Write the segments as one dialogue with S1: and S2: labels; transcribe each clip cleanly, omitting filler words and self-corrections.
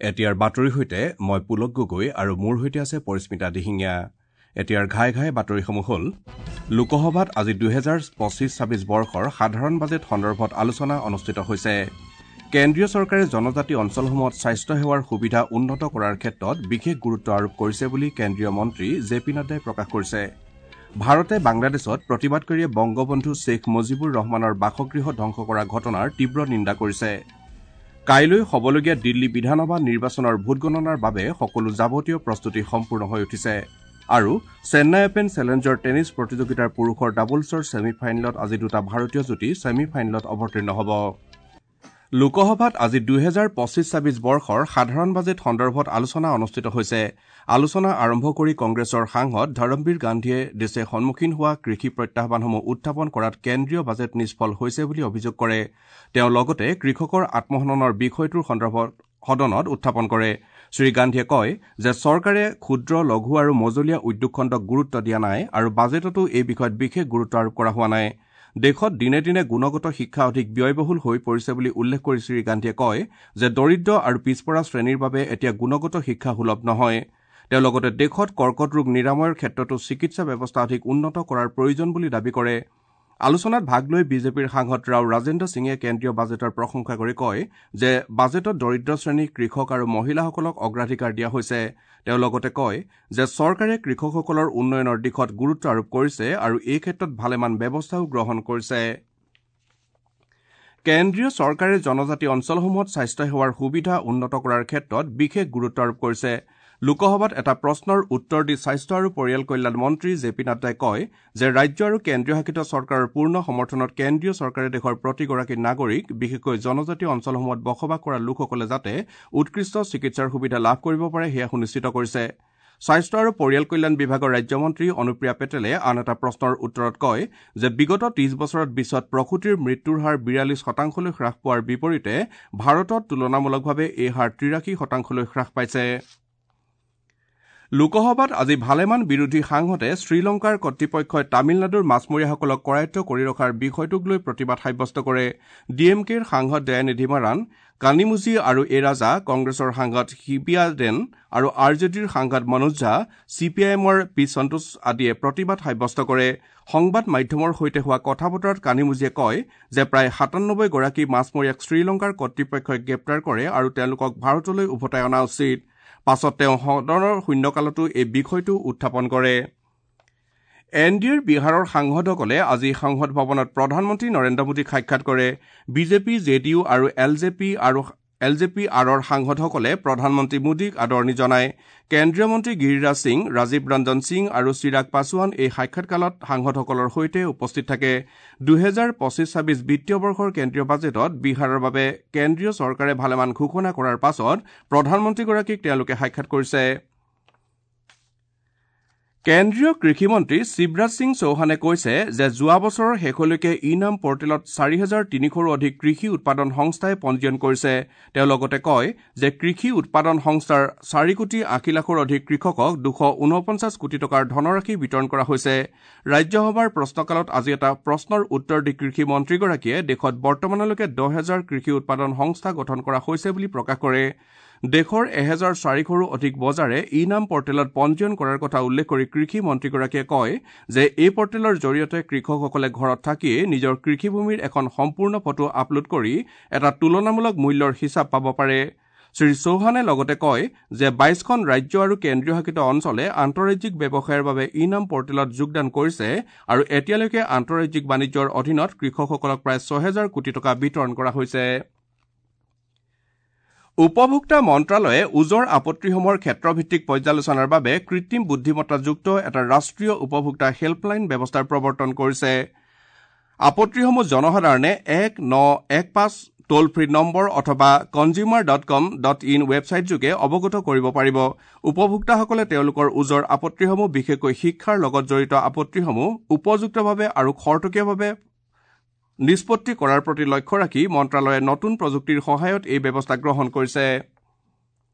S1: এতিয়াৰ বাতৰিৰ সৈতে মই পুলক গগৈ আৰু মোৰ সৈতে আছে পৰিস্মিতা দিহিঙীয়া। এতিয়াৰ ঘাই ঘাই বাতৰিসমূহ হ'ল: লোকসভাত আজি ২০২৫-২৬ বৰ্ষৰ সাধাৰণ বাজেট সন্দৰ্ভত আলোচনা অনুষ্ঠিত হৈছে। কেন্দ্ৰীয় চৰকাৰে জনজাতি অঞ্চলসমূহত স্বাস্থ্য সেৱাৰ সুবিধা উন্নত কৰাৰ ক্ষেত্ৰত বিশেষ গুৰুত্ব আৰোপ কৰিছে বুলি কেন্দ্ৰীয় মন্ত্ৰী জে পি নাড্ডাই প্ৰকাশ কৰিছে। ভাৰতে বাংলাদেশত প্ৰতিবাদকাৰীয়ে বংগবন্ধু শ্বেখ মুজিবুৰ ৰহমানৰ বাসগৃহ ধ্বংস কৰা ঘটনাৰ তীব্ৰ নিন্দা কৰিছে। কাইলৈ হ'বলগীয়া দিল্লী বিধানসভা নিৰ্বাচনৰ ভোটগণনাৰ বাবে সকলো যাৱতীয় প্ৰস্তুতি সম্পূৰ্ণ হৈ উঠিছে। আৰু চেন্নাই অপেন চেলেঞ্জাৰ টেনিছ প্ৰতিযোগিতাৰ পুৰুষৰ ডাবলছৰ ছেমি ফাইনেলত আজি দুটা ভাৰতীয় যুটী ছেমি ফাইনেলত অৱতীৰ্ণ হ'ব। লোকসভাত আজি ২০২৫-২৬ বৰ্ষৰ সাধাৰণ বাজেট সন্দৰ্ভত আলোচনা অনুষ্ঠিত হৈছে। আলোচনা আৰম্ভ কৰি কংগ্ৰেছৰ সাংসদ ধৰমবীৰ গান্ধীয়ে দেশে সন্মুখীন হোৱা কৃষি প্ৰত্যাহ্বানসমূহ উত্থাপন কৰাত কেন্দ্ৰীয় বাজেট নিষ্ফল হৈছে বুলি অভিযোগ কৰে। তেওঁ লগতে কৃষকৰ আত্মহননৰ বিষয়টোৰ সন্দৰ্ভত সদনত উত্থাপন কৰে। শ্ৰীগান্ধীয়ে কয় যে চৰকাৰে ক্ষুদ্ৰ, লঘু আৰু মজলীয়া উদ্যোগ খণ্ডক গুৰুত্ব দিয়া নাই আৰু বাজেটতো এই বিষয়ত বিশেষ গুৰুত্ব আৰোপ কৰা হোৱা নাই। দেশত দিনে দিনে গুণগত শিক্ষা অধিক ব্যয়বহুল হৈ পৰিছে বুলি উল্লেখ কৰি শ্ৰীগান্ধীয়ে কয় যে দৰিদ্ৰ আৰু পিছপৰা শ্ৰেণীৰ বাবে এতিয়া গুণগত শিক্ষা সুলভ নহয়। তেওঁ লগতে দেশত কৰ্কট ৰোগ নিৰাময়ৰ ক্ষেত্ৰতো চিকিৎসা ব্যৱস্থা অধিক উন্নত কৰাৰ প্ৰয়োজন বুলি দাবী কৰে। আলোচনাত ভাগ লৈ বিজেপিৰ সাংসদ ৰাও ৰাজেন্দ্ৰ সিঙে কেন্দ্ৰীয় বাজেটৰ প্ৰশংসা কৰি কয় যে বাজেটত দৰিদ্ৰ শ্ৰেণী, কৃষক আৰু মহিলাসকলক অগ্ৰাধিকাৰ দিয়া হৈছে। তেওঁ লগতে কয় যে চৰকাৰে কৃষকসকলৰ উন্নয়নৰ দিশত গুৰুত্ব আৰোপ কৰিছে আৰু এই ক্ষেত্ৰত ভালেমান ব্যৱস্থাও গ্ৰহণ কৰিছে। কেন্দ্ৰীয় চৰকাৰে জনজাতি অঞ্চলসমূহত স্বাস্থ্য সেৱাৰ সুবিধা উন্নত কৰাৰ ক্ষেত্ৰত বিশেষ গুৰুত্ব আৰোপ কৰিছে। লোকসভাত এটা প্ৰশ্নৰ উত্তৰ দি স্বাস্থ্য আৰু পৰিয়াল কল্যাণ মন্ত্ৰী জে পি নাড্ডাই কয় যে ৰাজ্য আৰু কেন্দ্ৰীয় শাসিত চৰকাৰৰ পূৰ্ণ সমৰ্থনত কেন্দ্ৰীয় চৰকাৰে দেশৰ প্ৰতিগৰাকী নাগৰিক, বিশেষকৈ জনজাতীয় অঞ্চলসমূহত বসবাস কৰা লোকসকলে যাতে উৎকৃষ্ট চিকিৎসাৰ সুবিধা লাভ কৰিব পাৰে সেয়া সুনিশ্চিত কৰিছে। স্বাস্থ্য আৰু পৰিয়াল কল্যাণ বিভাগৰ ৰাজ্যমন্ত্ৰী অনুপ্ৰিয়া পেটেলে আন এটা প্ৰশ্নৰ উত্তৰত কয় যে বিগত ৩০ বছৰত বিশ্বত প্ৰসূতিৰ মৃত্যুৰ হাৰ ৪২% হ্ৰাস পোৱাৰ বিপৰীতে ভাৰতত তুলনামূলকভাৱে এই হাৰ ৮৩% হ্ৰাস পাইছে। লোকসভাত আজি ভালেমান বিৰোধী সাংসদে শ্ৰীলংকাৰ কৰ্তৃপক্ষই তামিলনাডুৰ মাছমৰীয়াসকলক কৰায়ত্ব কৰি ৰখাৰ বিষয়টোক লৈ প্ৰতিবাদ সাব্যস্ত কৰে। ডি এম কেৰ সাংসদ দয়ানিধি মাৰাণ, কানিমুজি আৰু এ ৰাজা, কংগ্ৰেছৰ সাংসদ হিবিয়াডেন আৰু আৰ জে ডিৰ সাংসদ মনোজ ঝা, চি পি আই এমৰ পি সন্তোষ আদিয়ে প্ৰতিবাদ সাব্যস্ত কৰে। সংবাদ মাধ্যমৰ সৈতে হোৱা কথা বতৰাত কানিমুজিয়ে কয় যে প্ৰায় ৯৭ গৰাকী মাছমৰীয়াক শ্ৰীলংকাৰ কৰ্তৃপক্ষই গ্ৰেপ্তাৰ কৰে আৰু তেওঁলোকক ভাৰতলৈ উভতাই অনা উচিত। পাছত তেওঁ সদনৰ শূন্যকালতো এই বিষয়টো উত্থাপন কৰে। এন ডি এৰ বিহাৰৰ সাংসদসকলে আজি সংসদ ভৱনত প্ৰধানমন্ত্ৰী নৰেন্দ্ৰ মোদীক সাক্ষাৎ কৰে। বিজেপি, জে ডি ইউ আৰু এল জে পি আৰৰ সাংসদসকলে প্ৰধানমন্ত্ৰী মোদীক আদৰণি জনায়। কেন্দ্ৰীয় মন্ত্ৰী গিৰিৰাজ সিং, ৰাজীৱ ৰঞ্জন সিং আৰু চিৰাগ পাছোৱান এই সাক্ষাৎকালত সাংসদসকলৰ সৈতে উপস্থিত থাকে। ২০২৫-২৬ বিত্তীয় বৰ্ষৰ কেন্দ্ৰীয় বাজেটত বিহাৰৰ বাবে কেন্দ্ৰীয় চৰকাৰে ভালেমান ঘোষণা কৰাৰ পাছত প্ৰধানমন্ত্ৰীগৰাকীক তেওঁলোকে সাক্ষাৎ কৰিছে। কেন্দ্ৰীয় কৃষিমন্ত্ৰী শিৱৰাজ সিং চৌহানে কৈছে যে যোৱা বছৰৰ শেষলৈকে ই নাম পৰ্টেলত ৪৩০০ৰো অধিক কৃষি উৎপাদন সংস্থাই পঞ্জীয়ন কৰিছে। তেওঁ লগতে কয় যে কৃষি উৎপাদন সংস্থাৰ ৪ কোটি ৮০ লাখৰো অধিক কৃষকক ২৪৯ কোটি টকাৰ ধনৰাশি বিতৰণ কৰা হৈছে। ৰাজ্যসভাৰ প্ৰশ্নকালত আজি এটা প্ৰশ্নৰ উত্তৰ দি কৃষি মন্ত্ৰীগৰাকীয়ে দেশত বৰ্তমানলৈকে ১০,০০০ কৃষি উৎপাদন সংস্থা গঠন কৰা হৈছে বুলি প্ৰকাশ কৰে। দেশৰ ১৪০০ৰো অধিক বজাৰে ই নাম পৰ্টেলত পঞ্জীয়ন কৰাৰ কথা উল্লেখ কৰি কৃষি মন্ত্ৰীগৰাকীয়ে কয় যে এই পৰ্টেলৰ জৰিয়তে কৃষকসকলে ঘৰত থাকিয়েই নিজৰ কৃষিভূমিৰ এখন সম্পূৰ্ণ ফটো আপলোড কৰি এটা তুলনামূলক মূল্যৰ হিচাপ পাব পাৰে। শ্ৰী চৌহানে লগতে কয় যে ২২খন ৰাজ্য আৰু কেন্দ্ৰীয় শাসিত অঞ্চলে আন্তঃৰাজ্যিক ব্যৱসায়ৰ বাবে ই নাম পৰ্টেলত যোগদান কৰিছে আৰু এতিয়ালৈকে আন্তঃৰাজ্যিক বাণিজ্যৰ অধীনত কৃষকসকলক প্ৰায় ৬০০০ কোটি টকা বিতৰণ কৰা হৈছে। উপভোক্তা মন্ত্ৰালয়ে ওজৰ আপত্তিসমূহৰ ক্ষেত্ৰভিত্তিক পৰ্যালোচনাৰ বাবে কৃত্ৰিম বুদ্ধিমত্তাযুক্ত এটা ৰাষ্ট্ৰীয় উপভোক্তা হেল্পলাইন ব্যৱস্থাৰ প্ৰৱৰ্তন কৰিছে। আপত্তিসমূহ জনসাধাৰণে ১৯১৫ টোল ফ্ৰী নম্বৰ অথবা consumer.com.in ৱেবছাইটযোগে অৱগত কৰিব পাৰিব। উপভোক্তাসকলে তেওঁলোকৰ ওজৰ আপত্তিসমূহ, বিশেষকৈ শিক্ষাৰ লগত জড়িত আপত্তিসমূহ উপযুক্তভাৱে আৰু খৰতকীয়াভাৱে নিষ্পত্তি কৰাৰ প্ৰতি লক্ষ্য ৰাখি মন্ত্ৰালয়ে নতুন প্ৰযুক্তিৰ সহায়ত এই ব্যৱস্থা গ্ৰহণ কৰিছে।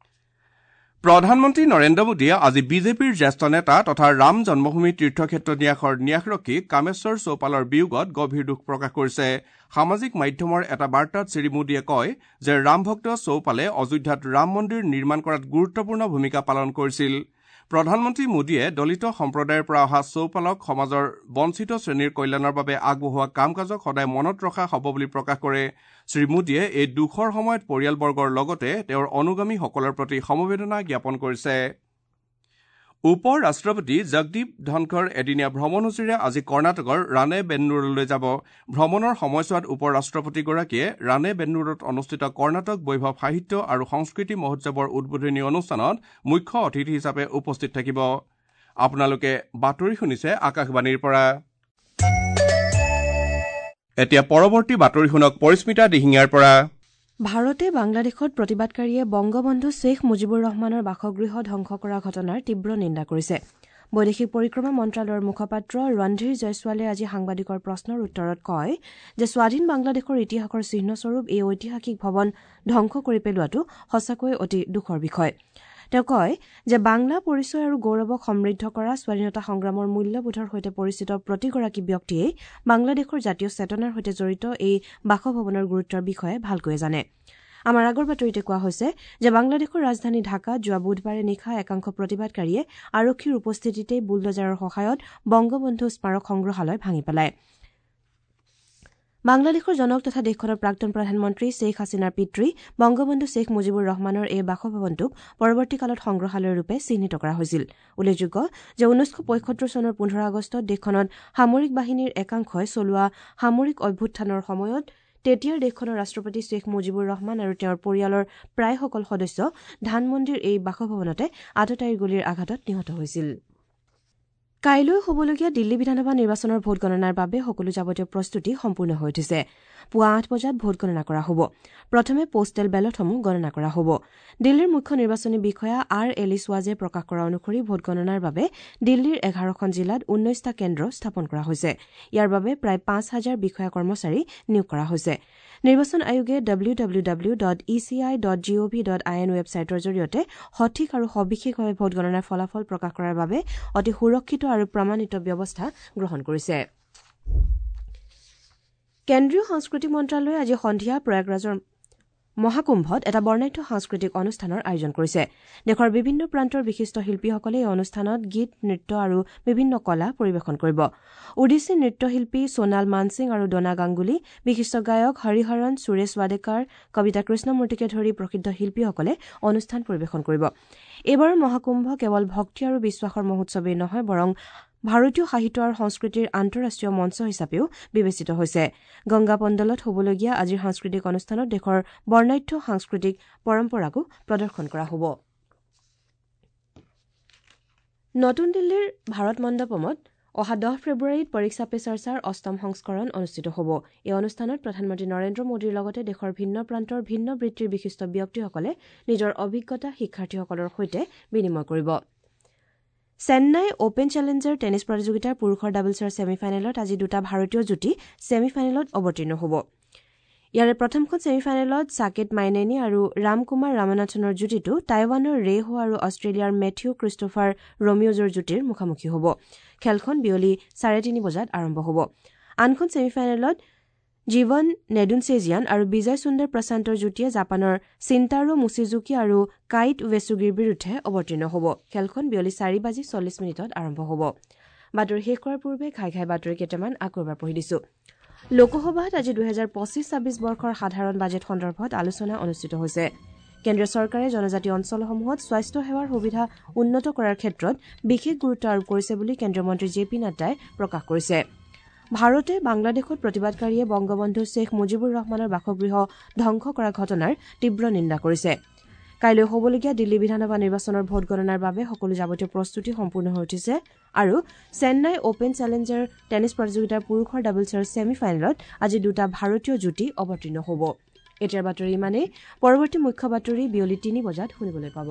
S1: প্ৰধানমন্ত্ৰী নৰেন্দ্ৰ মোদীয়ে আজি বিজেপিৰ জ্যেষ্ঠ নেতা তথা ৰাম জন্মভূমি তীৰ্থক্ষেত্ৰ ন্যাসৰ ন্যাসৰক্ষী কামেশ্বৰ চৌপালৰ বিয়োগত গভীৰ দুখ প্ৰকাশ কৰিছে। সামাজিক মাধ্যমৰ এটা বাৰ্তাত শ্ৰী মোদীয়ে কয় যে ৰামভক্ত চৌপালে অযোধ্যাত ৰাম মন্দিৰ নিৰ্মাণ কৰাত গুৰুত্বপূৰ্ণ ভূমিকা পালন কৰিছিল। প্ৰধানমন্ত্ৰী মোদীয়ে দলিত সম্প্ৰদায়ৰ পৰা অহা চৌপালক সমাজৰ বঞ্চিত শ্ৰেণীৰ কল্যাণৰ বাবে আগবঢ়োৱা কাম কাজক সদায় মনত ৰখা হ'ব বুলি প্ৰকাশ কৰে। শ্ৰী মোদীয়ে এই দুখৰ সময়ত পৰিয়ালবৰ্গৰ লগতে তেওঁৰ অনুগামীসকলৰ প্ৰতি সমবেদনা জ্ঞাপন কৰিছে। উপ ৰাষ্ট্ৰপতি জগদীপ ধনখৰ এদিনীয়া ভ্ৰমণসূচীৰে আজি কৰ্ণাটকৰ ৰাণেবেন্নুৰলৈ যাব। ভ্ৰমণৰ সময়ছোৱাত উপ ৰাষ্ট্ৰপতিগৰাকীয়ে ৰাণেবেন্নুৰত অনুষ্ঠিত কৰ্ণাটক বৈভৱ সাহিত্য আৰু সংস্কৃতি মহোৎসৱৰ উদ্বোধনী অনুষ্ঠানত মুখ্য অতিথি হিচাপে উপস্থিত থাকিব। আপোনালোকে বাতৰি শুনিছে আকাশবাণীৰ পৰা। এতিয়া পৰৱৰ্তী বাতৰি শুনক পৰিস্মিতা দিহিঙীয়াৰ পৰা।
S2: ভাৰতে বাংলাদেশত প্ৰতিবাদকাৰীয়ে বংগবন্ধু শ্বেখ মুজিবুৰ ৰহমানৰ বাসগৃহ ধ্বংস কৰা ঘটনাৰ তীব্ৰ নিন্দা কৰিছে। বৈদেশিক পৰিক্ৰমা মন্ত্ৰালয়ৰ মুখপাত্ৰ ৰণধীৰ জয়ছোৱালে আজি সাংবাদিকৰ প্ৰশ্নৰ উত্তৰত কয় যে স্বাধীন বাংলাদেশৰ ইতিহাসৰ চিহ্নস্বৰূপ এই ঐতিহাসিক ভৱন ধ্বংস কৰি পেলোৱাটো সঁচাকৈয়ে অতি দুখৰ বিষয়। তেওঁ কয় যে বাংলা পৰিচয় আৰু গৌৰৱক সমৃদ্ধ কৰা স্বাধীনতা সংগ্ৰামৰ মূল্যবোধৰ সৈতে পৰিচিত প্ৰতিগৰাকী ব্যক্তিয়েই বাংলাদেশৰ জাতীয় চেতনাৰ সৈতে জড়িত এই বাসভৱনৰ গুৰুত্বৰ বিষয়ে ভালকৈয়ে জানে। আমাৰ আগৰ বাতৰিতে কোৱা হৈছে যে বাংলাদেশৰ ৰাজধানী ঢাকাত যোৱা বুধবাৰে নিশা একাংশ প্ৰতিবাদকাৰীয়ে আৰক্ষীৰ উপস্থিতিতেই বুলডজাৰৰ সহায়ত বংগবন্ধু স্মাৰক সংগ্ৰহালয় ভাঙি পেলায়। বাংলাদেশৰ জনক তথা দেশখনৰ প্ৰাক্তন প্ৰধানমন্ত্ৰী শ্বেখ হাছিনাৰ পিতৃ বংগবন্ধু শ্বেখ মুজিবুৰ ৰহমানৰ এই বাসভৱনটোক পৰৱৰ্তী কালত সংগ্ৰহালয়ৰূপে চিহ্নিত কৰা হৈছিল। উল্লেখযোগ্য যে 1975 চনৰ 15 আগষ্টত দেশখনত সামৰিক বাহিনীৰ একাংশই চলোৱা সামৰিক অভ্যুত্থানৰ সময়ত তেতিয়াৰ দেশখনৰ ৰাষ্ট্ৰপতি শ্বেখ মুজিবুৰ ৰহমান আৰু তেওঁৰ পৰিয়ালৰ প্ৰায়সকল সদস্য ধানমন্দিৰ এই বাসভৱনতে আততায়ীৰ গুলীৰ আঘাতত নিহত হৈছিল। কাইলৈ হ'বলগীয়া দিল্লী বিধানসভা নিৰ্বাচনৰ ভোটগণনাৰ বাবে সকলো যাৱতীয় প্ৰস্তুতি সম্পূৰ্ণ হৈ উঠিছে। পুৱা 8 বজাত ভোটগণনা কৰা হ'ব। প্ৰথমে পোষ্টেল বেলটসমূহ গণনা কৰা হ'ব। দিল্লীৰ মুখ্য নিৰ্বাচনী বিষয়া আৰ এলিছ ৱাজে প্ৰকাশ কৰা অনুসৰি ভোটগণনাৰ বাবে দিল্লীৰ 11খন জিলাত 19টা কেন্দ্ৰ স্থাপন কৰা হৈছে। ইয়াৰ বাবে প্ৰায় 5 হাজাৰ বিষয়া কৰ্মচাৰী নিয়োগ কৰা হৈছে। নিৰ্বাচন আয়োগে www.eci.gov.in ৱেবছাইটৰ জৰিয়তে সঠিক আৰু সবিশেষভাৱে ভোটগণনাৰ ফলাফল প্ৰকাশ কৰাৰ বাবে অতি সুৰক্ষিত আৰু প্ৰমাণিত ব্যৱস্থা গ্ৰহণ কৰিছে। কেন্দ্ৰীয় সাংস্কৃতিক মন্ত্ৰালয়ে আজি সন্ধিয়া প্ৰয়াগৰাজৰ মহাকুম্ভত এটা বৰ্ণাঢ্য সাংস্কৃতিক অনুষ্ঠানৰ আয়োজন কৰিছে। দেশৰ বিভিন্ন প্ৰান্তৰ বিশিষ্ট শিল্পীসকলে এই অনুষ্ঠানত গীত, নৃত্য আৰু বিভিন্ন কলা পৰিৱেশন কৰিব। ওডিচী নৃত্যশিল্পী সোণাল মানসিং আৰু ডোনা গাংগুলী, বিশিষ্ট গায়ক হৰিহৰণ, সুৰেশ ৱাডেকাৰ, কবিতা কৃষ্ণমূৰ্তিকে ধৰি প্ৰসিদ্ধ শিল্পীসকলে অনুষ্ঠান পৰিৱেশন কৰিব। এইবাৰৰ মহাকুম্ভ কেৱল ভক্তি আৰু বিশ্বাসৰ মহোৎসৱেই নহয়, বৰং ভাৰতীয় সাহিত্য আৰু সংস্কৃতিৰ আন্তঃৰাষ্ট্ৰীয় মঞ্চ হিচাপেও বিবেচিত হৈছে। গংগা পণ্ডলত হ'বলগীয়া আজিৰ সাংস্কৃতিক অনুষ্ঠানত দেশৰ বৰ্ণাঢ্য সাংস্কৃতিক পৰম্পৰাকো প্ৰদৰ্শন কৰা হ'ব। নতুন দিল্লীৰ ভাৰত মণ্ডপমত অহা 10 ফেব্ৰুৱাৰীত পৰীক্ষা পে চৰ্চাৰ অষ্টম সংস্কৰণ অনুষ্ঠিত হ'ব। এই অনুষ্ঠানত প্ৰধানমন্ত্ৰী নৰেন্দ্ৰ মোদীৰ লগতে দেশৰ ভিন্ন প্ৰান্তৰ ভিন্ন বৃত্তিৰ বিশিষ্ট ব্যক্তিসকলে নিজৰ অভিজ্ঞতা শিক্ষাৰ্থীসকলৰ সৈতে বিনিময় কৰিব। চেন্নাই অপেন চেলেঞ্জাৰ টেনিছ প্ৰতিযোগিতাৰ পুৰুষৰ ডাবলছৰ ছেমি ফাইনেলত আজি দুটা ভাৰতীয় যুটী ছেমি ফাইনেলত অৱতীৰ্ণ হ'ব। ইয়াৰে প্ৰথমখন ছেমি ফাইনেলত ছাকেট মাইনেনী আৰু ৰামকুমাৰ ৰামনাথনৰ যুটীটো টাইৱানৰ ৰে হো আৰু অষ্ট্ৰেলিয়াৰ মেথিউ ক্ৰিষ্টোফাৰ ৰমিঅ'জৰ যুটীৰ মুখামুখি হ'ব। খেলখন বিয়লি 3:30 বজাত আৰম্ভ হ'ব। আনখন ছেমি ফাইনেলত জীৱন নেডুনচেজিয়ান আৰু বিজয় সুন্দৰ প্ৰশান্তৰ যুটীয়ে জাপানৰ চিন্তাৰো মুচিজুকি আৰু কাইট ৱেচুগিৰ বিৰুদ্ধে অৱতীৰ্ণ হ'ব। খেলখন বিয়লি 4:40ত আৰম্ভ হ'ব। বাতৰি শেষ কৰাৰ পূৰ্বে ঘাই ঘাই বাতৰি কেইটামান আকৌ এবাৰ পঢ়ি দিছো। লোকসভাত আজি 2025-26 বৰ্ষৰ সাধাৰণ বাজেট সন্দৰ্ভত আলোচনা অনুষ্ঠিত হৈছে। কেন্দ্ৰীয় চৰকাৰে জনজাতি অঞ্চলসমূহত স্বাস্থ্য সেৱাৰ সুবিধা উন্নত কৰাৰ ক্ষেত্ৰত বিশেষ গুৰুত্ব আৰোপ কৰিছে বুলি কেন্দ্ৰীয় মন্ত্ৰী জে পি নাড্ডাই প্ৰকাশ কৰিছে। ভাৰতে বাংলাদেশত প্ৰতিবাদকাৰীয়ে বংগবন্ধু শ্বেখ মুজিবুৰ ৰহমানৰ বাসগৃহ ধ্বংস কৰা ঘটনাৰ তীব্ৰ নিন্দা কৰিছে। কাইলৈ হ'বলগীয়া দিল্লী বিধানসভা নিৰ্বাচনৰ ভোটগণনাৰ বাবে সকলো যাৱতীয় প্ৰস্তুতি সম্পূৰ্ণ হৈ উঠিছে আৰু চেন্নাই অপেন চেলেঞ্জাৰ টেনিছ প্ৰতিযোগিতাৰ পুৰুষৰ ডাবলছৰ ছেমি ফাইনেলত আজি দুটা ভাৰতীয় যুটী অৱতীৰ্ণ হ'ব। এতিয়াৰ বাতৰি ইমানেই। পৰৱৰ্তী মুখ্য বাতৰি বিয়লি 3 বজাত শুনিবলৈ পাব।